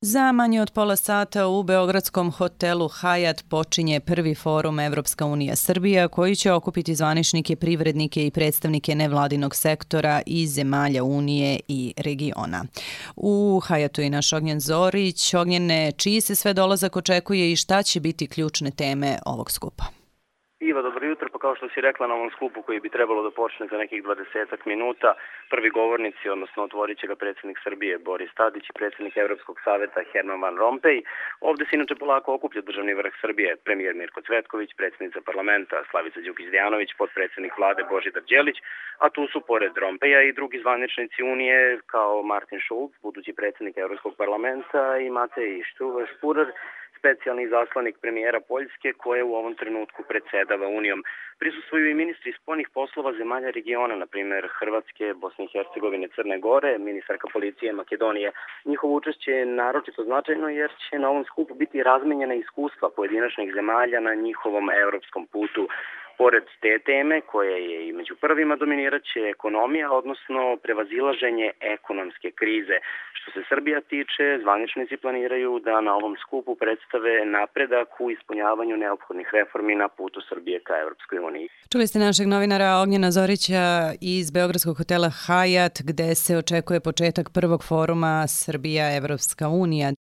Za manje od pola sata u beogradskom hotelu Hajat počinje prvi forum Evropska unija Srbija koji će okupiti zvaničnike, privrednike i predstavnike nevladinog sektora iz zemalja Unije i regiona. U Hajatu je naš Ognjen Zorić. Ognjene, čiji se sve dolazak očekuje i šta će biti ključne teme ovog skupa? Iva, dobro jutro. Pa kao što si rekla, na ovom skupu koji bi trebalo da počne za nekih 20 minuta, prvi govornici, odnosno otvorit će ga predsjednik Srbije Boris Tadić i predsjednik Evropskog saveta Herman Van Rompuy. Ovde se inače polako okuplja državni vrh Srbije, premijer Mirko Cvetković, predsjednica parlamenta Slavica Đukić-Dejanović, potpredsjednik vlade Božidar Đelić, a tu su pored Rompeja i drugi zvaničnici Unije kao Martin Schulz, budući predsjednik Evropskog parlamenta, i Matej Špurar, specijalni zaslanik premijera Poljske, koje u ovom trenutku predsjedava Unijom. Prisustvuju i ministri spoljnih poslova zemalja regiona, na primjer Hrvatske, Bosne i Hercegovine, Crne Gore, ministarka policije Makedonije. Njihovo učešće je naročito značajno jer će na ovom skupu biti razmenjena iskustva pojedinačnih zemalja na njihovom evropskom putu. Pored te teme, koja je i među prvima, dominirat će ekonomija, odnosno prevazilaženje ekonomske krize. Što se Srbija tiče, zvaničnici planiraju da na ovom skupu predstave napredak u ispunjavanju neophodnih reformi na putu Srbije ka Evropskoj uniji. Čuli ste našeg novinara Ognjena Zorića iz beogradskog hotela Hajat, gde se očekuje početak prvog foruma Srbija-Evropska unija.